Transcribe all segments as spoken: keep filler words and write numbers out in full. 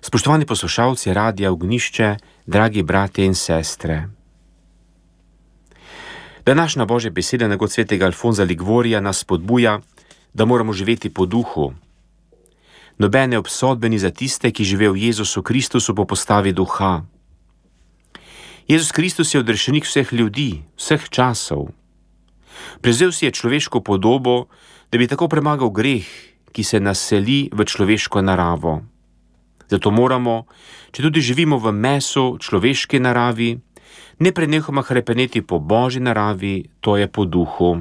Spoštovani poslušalci Radia Ognjišče, dragi bratje in sestre. Današnja Božja beseda od svetega Alfonza Liguorija nas spodbuja, da moramo živeti po duhu. Nobene obsodbe ni za tiste, ki živijo v Jezusu Kristusu po postavi duha. Jezus Kristus je odrešenik vseh ljudi, vseh časov. Prevzel si je človeško podobo, da bi tako premagal greh, ki se naseli v človeško naravo. Zato moramo, če tudi živimo v mesu človeške naravi, ne prenehoma hrepeneti po Božji naravi, to je po duhu.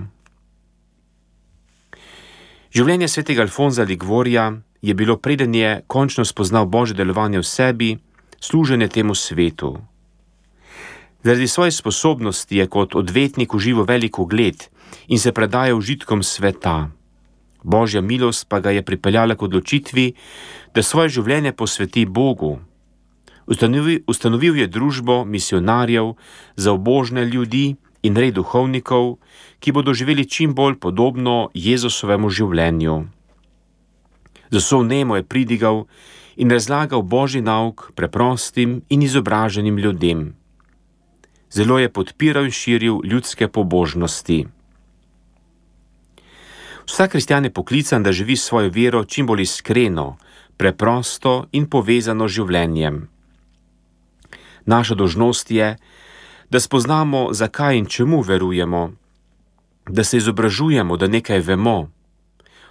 Življenje svetega Alfonza Liguorija je bilo, preden je končno spoznal Božje delovanje v sebi, služenje temu svetu. Zaradi svoje sposobnosti je kot odvetnik užival velik ugled in se predajal užitkom sveta. Božja milost pa ga je pripeljala k odločitvi, da svoje življenje posveti Bogu. Ustanovil, ustanovil je družbo misionarjev za ubožne ljudi in red duhovnikov, ki bodo živeli čim bolj podobno Jezusovemu življenju. Z vso vnemo je pridigal in razlagal Božji nauk preprostim in izobraženim ljudem. Zelo je podpiral in širil ljudske pobožnosti. Vsak kristjan je poklican, da živi svojo vero čim bolj iskreno, preprosto in povezano z življenjem. Naša dolžnost je, da spoznamo, zakaj in čemu verujemo, da se izobražujemo, da nekaj vemo.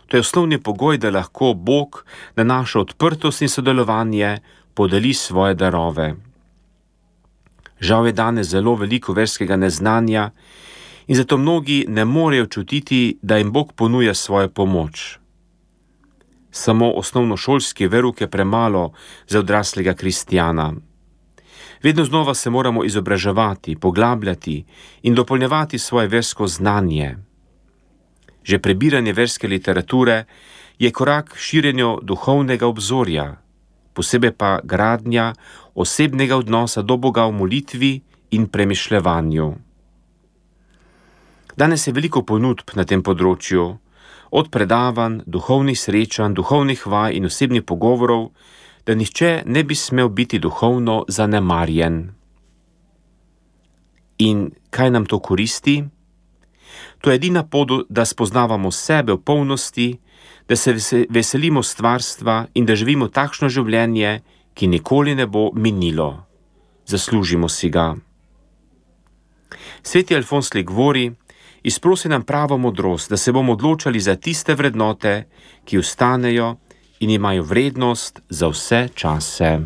To je osnovni pogoj, da lahko Bog na našo odprtost in sodelovanje podeli svoje darove. Žal je danes zelo veliko verskega neznanja in zato mnogi ne morejo čutiti, da jim Bog ponuja svojo pomoč. Samo osnovnošolski verouk je premalo za odraslega kristjana. Vedno znova se moramo izobraževati, poglabljati in dopolnjevati svoje versko znanje. Že prebiranje verske literature je korak k širjenju duhovnega obzorja, posebej pa gradnja osebnega odnosa do Boga v molitvi in premišljevanju. Danes je veliko ponudb na tem področju, od predavanj, duhovnih srečanj, duhovnih vaj in osebnih pogovorov, da nihče ne bi smel biti duhovno zanemarjen. In kaj nam to koristi? To je edina pot, da spoznavamo sebe v polnosti, da se veselimo stvarstva in da živimo takšno življenje, ki nikoli ne bo minilo. Zaslužimo si ga. Sveti Alfonz Liguori izprosi nam pravo modrost, da se bomo odločali za tiste vrednote, ki ostanejo in imajo vrednost za vse čase.